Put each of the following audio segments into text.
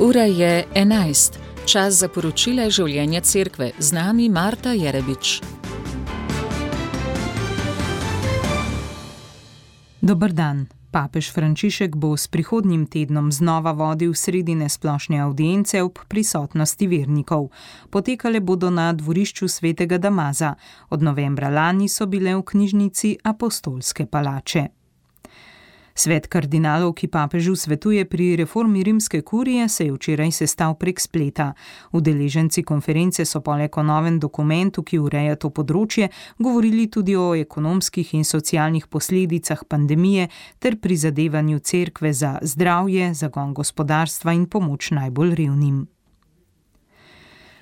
Ura je 11. Čas za poročila življenja cerkve. Z nami Marta Jerebič. Dober dan. Papež Frančišek bo s prihodnjim tednom znova vodil sredine splošne avdience ob prisotnosti vernikov. Potekale bodo na dvorišču Svetega Damaza. Od novembra lani so bile v knjižnici Apostolske palače. Svet kardinalov, ki papežu svetuje pri reformi rimske kurije, se je včeraj sestal prek spleta. Udeleženci konference so poleg o novem dokumentu, ki ureja to področje, govorili tudi o ekonomskih in socialnih posledicah pandemije ter prizadevanju cerkve za zdravje, zagon gospodarstva in pomoč najbolj revnim.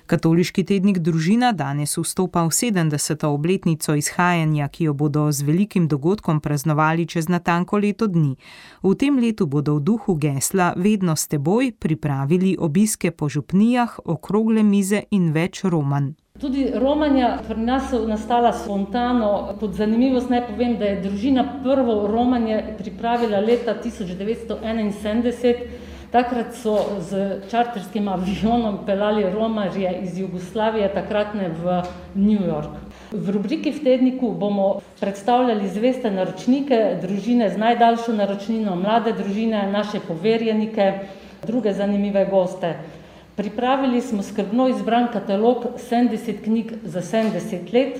Katoliški tednik Družina danes vstopa v 70. obletnico izhajanja, ki jo bodo z velikim dogodkom praznovali čez natanko leto dni. V tem letu bodo v duhu gesla Vedno s teboj pripravili obiske po župnijah, okrogle mize in več romanj. Tudi romanja pri nas so nastala spontano. Kot zanimivost naj povem, da je Družina prvo romanje pripravila leta 1971. Takrat so z čarterskim avionom peljali romarje iz Jugoslavije, takratne v New York. V rubriki v tedniku bomo predstavljali zveste naročnike družine z najdaljšo naročnino, mlade družine, naše poverjenike, druge zanimive goste. Pripravili smo skrbno izbran katalog 70 knjig za 70 let,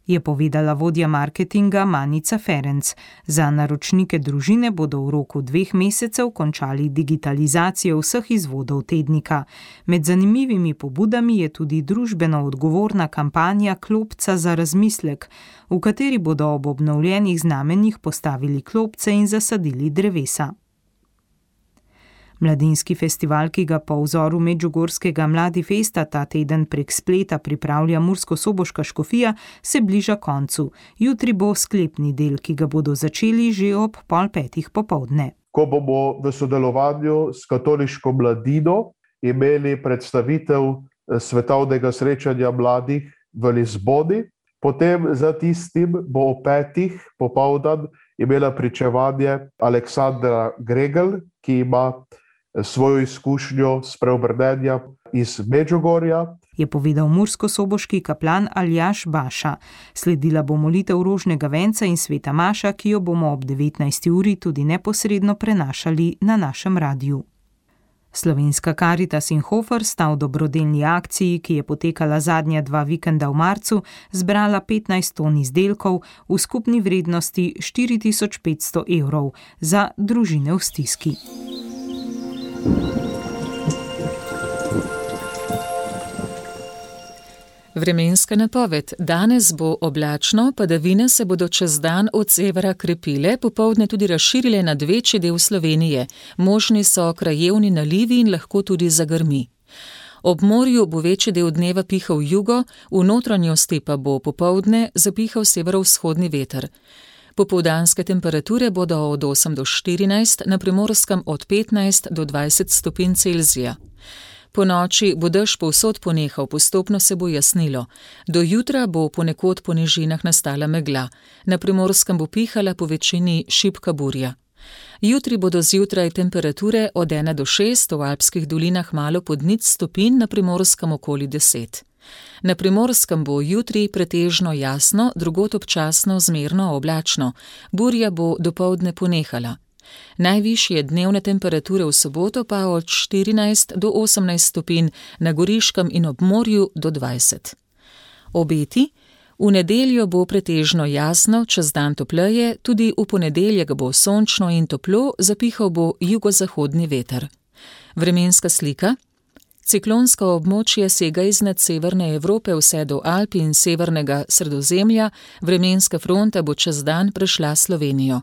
je povedala vodja marketinga Manica Ferenc. Za naročnike družine bodo v roku 2 mesecev končali digitalizacijo vseh izvodov tednika. Med zanimivimi pobudami je tudi družbeno odgovorna kampanja Klopca za razmislek, v kateri bodo ob obnovljenih znamenjih postavili klopce in zasadili drevesa. Mladinski festival, ki ga po vzoru medžugorskega Mladi festa ta teden prek spleta pripravlja murskosoboška škofija, se bliža koncu. Jutri bo sklepni del, ki ga bodo začeli že ob 4:30 popoldne. Ko bomo v sodelovanju s katoliško mladino imeli predstavitev svetovnega srečanja mladih v Lizboni, potem za tistim bo ob 5:00 popoldan imela pričevanje Aleksandra Gregel, ki ima svojo izkušnjo spreobrnenja iz Medžugorja, je povedal murskosoboški kaplan Aljaž Baša. Sledila bo molitev rožnega venca in sveta maša, ki jo bomo ob 19. uri tudi neposredno prenašali na našem radiju. Slovenska Karitas in Hofer sta v dobrodelni akciji, ki je potekala zadnja 2 vikenda v marcu, zbrala 15 ton izdelkov v skupni vrednosti 4500 evrov za družine v stiski. Vremenska napoved. Danes bo oblačno, padavine se bodo čez dan od severa krepile, popoldne tudi razširile nad večji del Slovenije. Možni so krajevni nalivi in lahko tudi zagrmi. Ob morju bo večji del dneva pihal jugo, v notranjosti pa bo popoldne zapihal severovzhodni veter. Popoldanske temperature bodo od 8 do 14, na Primorskem od 15 do 20 stopinj Celzija. Po noči bo dež povsod ponehal, postopno se bo jasnilo. Do jutra bo ponekod po nižinah nastala megla. Na Primorskem bo pihala po večini šibka burja. Jutri bodo zjutraj temperature od 1 do 6, v alpskih dolinah malo pod 0 stopinj, na Primorskem okoli 10. Na Primorskem bo jutri pretežno jasno, drugod občasno zmerno oblačno. Burja bo dopoldne ponehala. Najvišje dnevne temperature v soboto pa od 14 do 18 stopinj, na Goriškem in ob morju do 20. Obeti. V nedeljo bo pretežno jasno, čez dan topleje, tudi v ponedeljek bo sončno in toplo, zapihal bo jugozahodni veter. Vremenska slika. Ciklonsko območje sega iznad severne Evrope vse do Alp in severnega Sredozemlja, vremenska fronta bo čez dan prešla Slovenijo.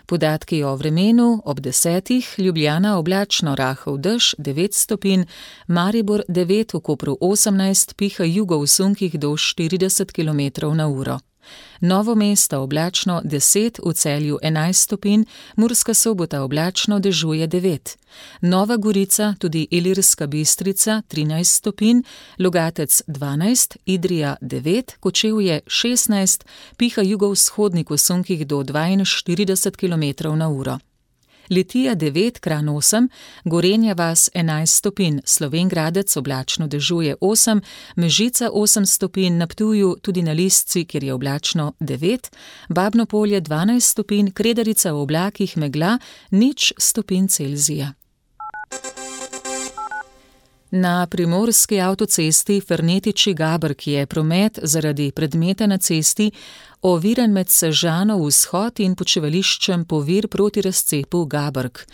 Podatki o vremenu ob 10. Ljubljana oblačno, rahel dež 9 stopinj, Maribor 9, v Kopru 18, piha jugo v sunkih do 40 km/h. Novo Mesto oblačno 10, v Celju 11 stopinj, Murska Sobota oblačno, dežuje 9. Nova Gorica, tudi Ilirska Bistrica 13 stopinj, Logatec 12, Idrija 9, Kočevje 16, piha jugovzhodnik v sunkih do 42 km/h. Litija 9, Kranj 8, Gorenja vas 11 stopinj, Slovenj Gradec oblačno dežuje 8, Mežica 8 stopinj, na Ptuju tudi na Lisci, kjer je oblačno 9, Babno Polje 12 stopinj, Kredarica v oblakih megla 0 stopinj Celzija. Na primorski avtocesti Fernetiči-Gabrk je promet zaradi predmeta na cesti oviran med Sežano vzhod in počivališčem Povir proti razcepu Gabrk.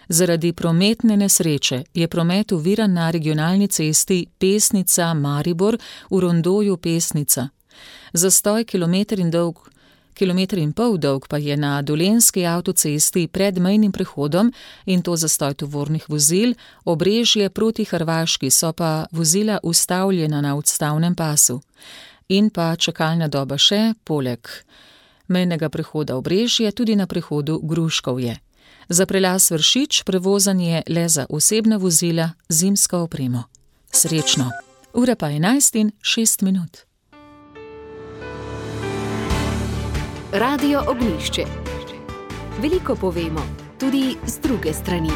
Zaradi prometne nesreče je promet oviran na regionalni cesti Pesnica-Maribor v rondoju Pesnica. Zastoj kilometer in pol dolg pa je na dolenjski avtocesti pred mejnim prehodom, in to zastoj tovornih vozil, Obrežje proti Hrvaški, so pa vozila ustavljena na odstavnem pasu. In pa čakalna doba še, poleg mejnega prehoda Obrežje, tudi na prehodu Gruškovje. Za prelaz Vršič prevozanje le za osebna vozila z zimsko opremo. Srečno! Ura pa 11:06. Radio Ognjišče. Veliko povemo, tudi z druge strani.